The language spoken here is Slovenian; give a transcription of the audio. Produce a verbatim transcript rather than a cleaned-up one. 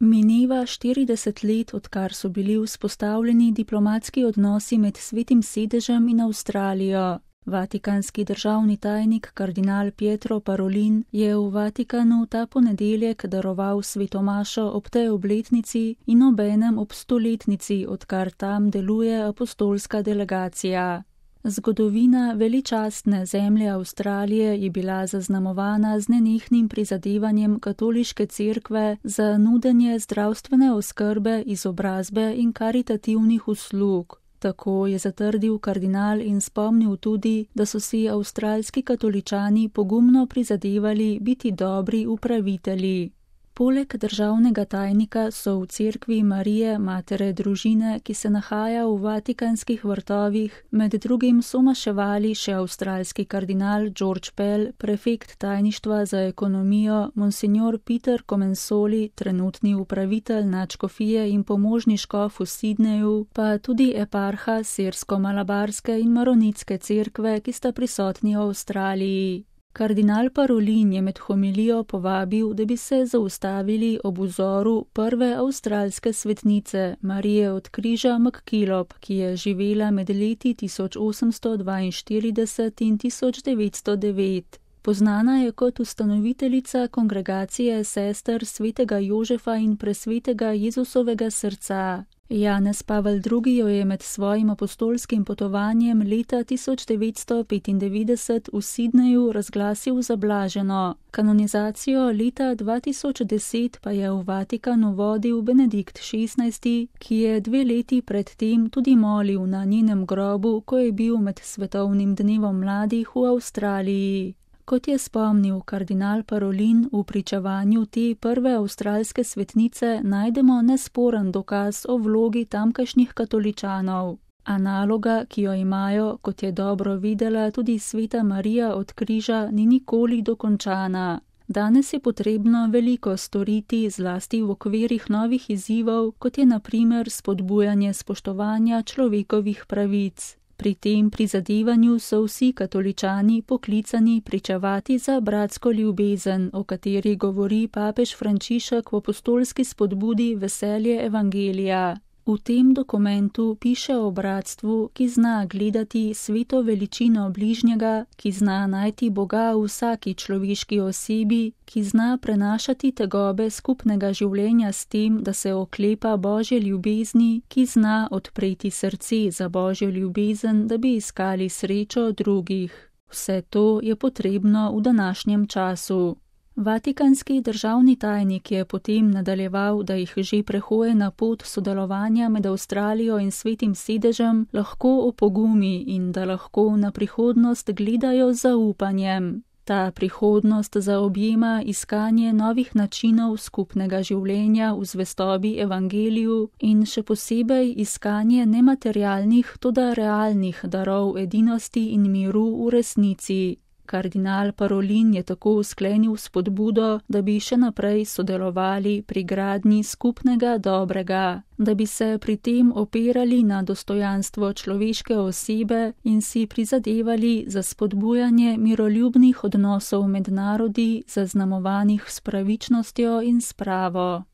Mineva štirideset let, odkar so bili vzpostavljeni diplomatski odnosi med Svetim sedežem in Avstralijo. Vatikanski državni tajnik kardinal Pietro Parolin je v Vatikanu ta ponedeljek daroval svetomašo ob tej obletnici in obenem ob stoletnici, odkar tam deluje apostolska delegacija. Zgodovina veličastne zemlje Avstralije je bila zaznamovana z nenehnim prizadevanjem katoliške cerkve za nudenje zdravstvene oskrbe, izobrazbe in karitativnih uslug. Tako je zatrdil kardinal in spomnil tudi, da so si avstralski katoličani pogumno prizadevali biti dobri upravitelji. Poleg državnega tajnika so v cerkvi Marije, matere družine, ki se nahaja v vatikanskih vrtovih, med drugim somaševali še avstralski kardinal George Pell, prefekt tajništva za ekonomijo, monsignor Peter Comensoli, trenutni upravitelj nadškofije in pomožni škof v Sydneyju, pa tudi eparha sirsko-malabarske in maronitske cerkve, ki sta prisotni v Avstraliji. Kardinal Parolin je med homilijo povabil, da bi se zaustavili ob vzoru prve avstralske svetnice, Marije od križa McKillop, ki je živela med leti tisoč osemsto dvainštirideset in tisoč devetsto devet. Poznana je kot ustanoviteljica kongregacije sester svetega Jožefa in presvetega Jezusovega srca. Janez Pavel drugi jo je med svojim apostolskim potovanjem leta tisoč devetsto petindevetdeset v Sydneyju razglasil za blaženo. Kanonizacijo leta dva tisoč deset pa je v Vatikanu vodil Benedikt šestnajsti, ki je dve leti pred tem tudi molil na njenem grobu, ko je bil med svetovnim dnevom mladih v Avstraliji. Kot je spomnil kardinal Parolin, v pričevanju te prve avstralske svetnice najdemo nesporen dokaz o vlogi tamkajšnjih katoličanov. A naloga, ki jo imajo, kot je dobro videla tudi sveta Marija od križa, ni nikoli dokončana. Danes je potrebno veliko storiti, zlasti v okvirih novih izzivov, kot je na primer spodbujanje spoštovanja človekovih pravic. Pri tem prizadevanju so vsi katoličani poklicani pričevati za bratsko ljubezen, o kateri govori papež Frančišek v apostolski spodbudi Veselje evangelija. V tem dokumentu piše o bratstvu, ki zna gledati sveto veličino bližnjega, ki zna najti Boga v vsaki človeški osebi, ki zna prenašati tegobe skupnega življenja s tem, da se oklepa Božje ljubezni, ki zna odpreti srce za Božjo ljubezen, da bi iskali srečo drugih. Vse to je potrebno v današnjem času. Vatikanski državni tajnik je potem nadaljeval, da jih že prehojena pot sodelovanja med Avstralijo in Svetim sedežem lahko opogumi in da lahko na prihodnost gledajo z zaupanjem. Ta prihodnost zaobjema iskanje novih načinov skupnega življenja v zvestobi evangeliju in še posebej iskanje nematerialnih, toda realnih darov edinosti in miru v resnici. Kardinal Parolin je tako sklenil spodbudo, da bi še naprej sodelovali pri gradnji skupnega dobrega, da bi se pri tem opirali na dostojanstvo človeške osebe in si prizadevali za spodbujanje miroljubnih odnosov med narodi, zaznamovanih s pravičnostjo in spravo.